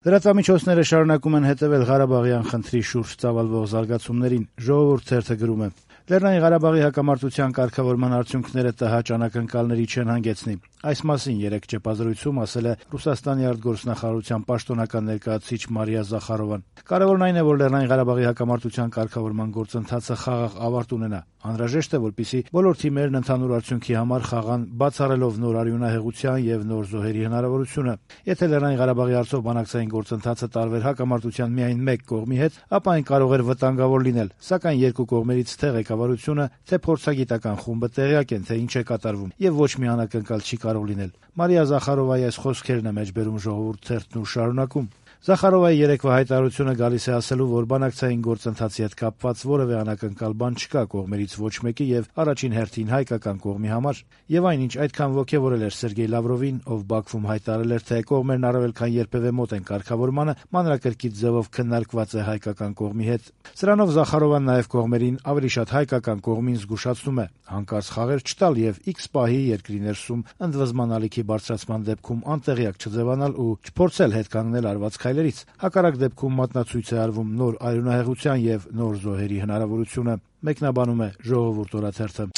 Լրատվամիջոցները շարունակում են հետևել Ղարաբաղյան խնդրի շուրջ ծավալվող զարգացումներին։ Ժողովուրդ թերթը գրում է. Լեռնային Ղարաբաղի հակամարտության կարգավորման արդյունքները ՏՀ անակնկալների չեն հանգեցնի։ Այս մասին երեկ ճեպազրույցում ասել է Ռուսաստանի արտգործնախարարության պաշտոնական ներկայացուցիչ Մարիա Զախարովան։ Կարևորն այն է, որ Լեռնային Ղարաբաղի հակամարտության կարգավորման գործընթացը խաղաղ ավարտ ունենա։ Անհրաժեշտ է, որպեսզի բոլոր թիմերն ընդհանուր արդյունքի համար խաղան, բացառելով նոր արյունահեղության եւ նոր զոհերի հնարավորությունը։ Եթե Լեռնային Ղարաբաղի հարցով բանակցային գործընթացը տարվեր հակամարտության միայն մեկ կողմի հետ, ապա այն կարող էր վտանգավոր լինել, սակայն երկու կողմերից թե ղեկավարությունը, թե փորձագիտական խումբը տեղյակ են, թե ինչ է կատարվում, եւ ոչ մի անակնկալ չի կարող լինել։ Մարիա Զախարովայի այս խոսքերն է մեջբերում Ժողովուրդ թերթն ու շարունակում. Զախարովայի երեկվա հայտարարությունը գալիս է ասելու, որ բանակցային գործընթացի հետ կապված որևէ անակնկալ բան չկա կողմերից ոչ մեկի եւ առաջին հերթին հայկական կողմի համար, եւ այնինչ այդքան ոգեւորել էր Սերգեյ Լավրովին, ով Բաքվում հայտարարել էր, թե կողմերն առավել քան երբևէ մոտ են կարգավորմանը, մանրակրկիտ ձևով քննարկված է հայկական կողմի հետ։ Սրանով Զախարովան նաեւ կողմերին ավելի շատ հայկական կողմին զգուշացնում է հանկարծ խաղեր չտալ եւ X պահի երկրի ներսում ընդվզման ալիքի բարձրացման դեպքում անտեղյակ չձևանալ ու չփորձել հետ կանգնել արված քայլերից։ Հակառակ դեպքում մատնացույց է արվում նոր արյունահեղության եւ նոր զոհերի հնարավորությունը, մեկնաբանում է Ժողովուրդ օրաթերթը։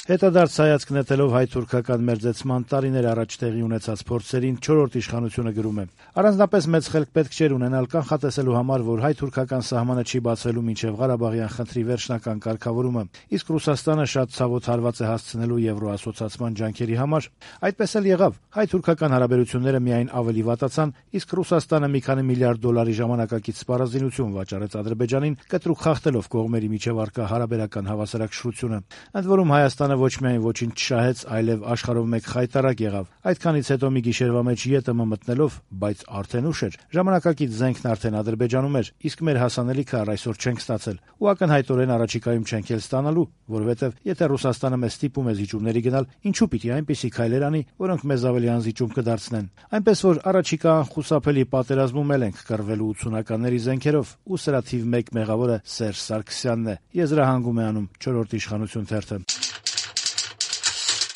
Հետադարձ հայացք նետելով հայ-թուրքական մերձեցման տարիներ առաջ տեղի ունեցած փորձերին 4-րդ իշխանությունը գրում է. առանձնապես մեծ խելք պետք չէր ունենալ կանխատեսելու համար, որ հայ-թուրքական սահմանը չի բացվելու մինչև Ղարաբաղյան խնդրի վերջնական կարգավորումը, իսկ Ռուսաստանը շատ ցավոտ հարված է հասցնելու եվրոասոցիացման ջանքերի համար։ Այդպես էլ եղավ։ Հայ-թուրքական հարաբերությունները միայն ավելի վատացան, իսկ Ռուսաստանը մի քանի միլիարդ դոլարի ժամանակակից սպառազինություն վաճառեց Ադրբեջանին, կտրուկ խախտելով կողմերի միջև առկա հարաբերական հավասարակշռությունը։ Ընդ որում Հայաստանը ոչ միայն ոչինչ չշահեց, այլև աշխարհով մեկ խայտարակ եղավ։ Այդքանից հետո մի գիշերվա մեջ ԵՏՄ մտնելով, բայց արդեն ուշ էր։ Ժամանակակից զենքն արդեն Ադրբեջանում էր, իսկ մեր հասանելիքը առ այսօր չենք ստացել։ Ու ակնհայտորեն առաջիկայում չենք էլ ստանալու, որովհետև եթե Ռուսաստանը մեզ ստիպում է զիջումների գնալ, ինչու պիտի այնպիսի քայլեր անի, որոնք մեզ ավելի անզիջում կդարձնեն։ Այնպես որ առաջիկա անխուսափելի պատերազմում էլ ենք կռվելու 80-ականների զենքերով, ու սրա թիվ 1 մեղավորը Սերժ Սարգսյանն է։ Եզրահանգում է անում 4-րդ իշխանություն թերթը։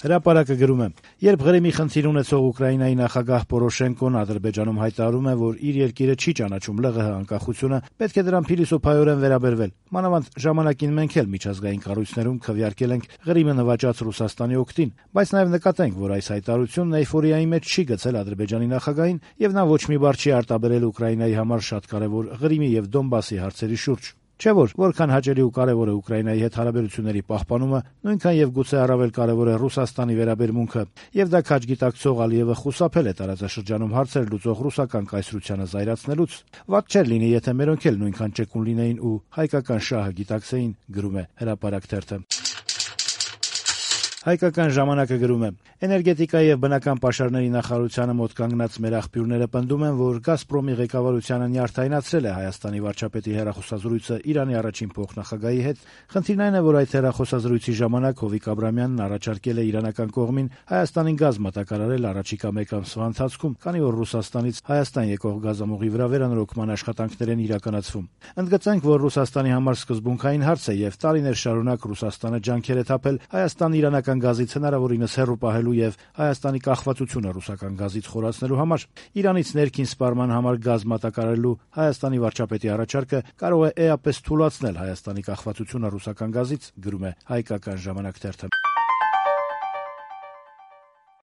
Հրապարակը գրում է. երբ Ղրիմի խնդիր ունեցող Ուկրաինայի նախագահ Պորոշենկոն Ադրբեջանում հայտարարում է, որ իր երկիրը չի ճանաչում ԼՂՀ անկախությունը, պետք է դրան փիլիսոփայորեն վերաբերվել։ Մանավանդ ժամանակին մենք էլ միջազգային կառույցներում քվեարկել ենք Ղրիմը նվաճած Ռուսաստանի օգտին, բայց նաև նկատենք, որ այս հայտարարությունն էյֆորիայի մեջ չի գցել Ադրբեջանի նախագահին, եւ նա ոչ մի բառ չի արտաբերել Ուկրաինայի համար շատ կարևոր Ղրիմի եւ Դոնբասի հարցերի շուրջ։ Չէ՞ որ որքան հաճելի ու կարևոր է Ուկրաինայի հետ հարաբերությունների պահպանումը, նույնքան եւ գուցե առավել կարևոր է Ռուսաստանի վերաբերմունքը, եւ դա քաջ գիտակցող Ալիևը խուսափել է տարածաշրջանում հարցեր լուծող ռուսական կայսրությանը զայրացնելուց։ Վատ չէր լինի, եթե մերոնք էլ նույնքան ճկուն լինեին ու հայկական շահը գիտակցեին, գրում է Հրապարակ թերթը։ Հայկական ժամանակը գրում է. Էներգետիկայի եւ բնական պաշարների նախարարությանը մոտ կանգնած մեր աղբյուրները պնդում են, որ Գազպրոմի ղեկավարությանը նյարդայնացրել է Հայաստանի վարչապետի հեռախոսազրույցը Իրանի առաջին փոխնախագահի հետ։ Խնդիրն այն է, որ այդ հեռախոսազրույցի ժամանակ Հովիկ Աբրամյանն առաջարկել է իրանական կողմին Հայաստանին գազ մատակարարել առաջիկա մեկ ամսվա ընթացքում, քանի որ Ռուսաստանից Հայաստան եկող գազամուղի վրա վերանորոգման աշխատանքներ են իրականացվում։ Ընդգծենք, որ Ռուսաստանի համար սկզբունքային հարց է եւ տարիներ շարունակ Ռուսաստանը ջանքեր է թափել Հայաստան-իրանական գազից հնարավորինս հեռու պահելու եւ Հայաստանի կախվածությունը ռուսական գազից խորացնելու համար։ Իրանից ներքին սպառման համար գազ մատակարարելու Հայաստանի վարչապետի առաջարկը կարող է էապես թուլացնել Հայաստանի կախվածությունը ռուսական գազից, գրում է Հայկական ժամանակ թերթը։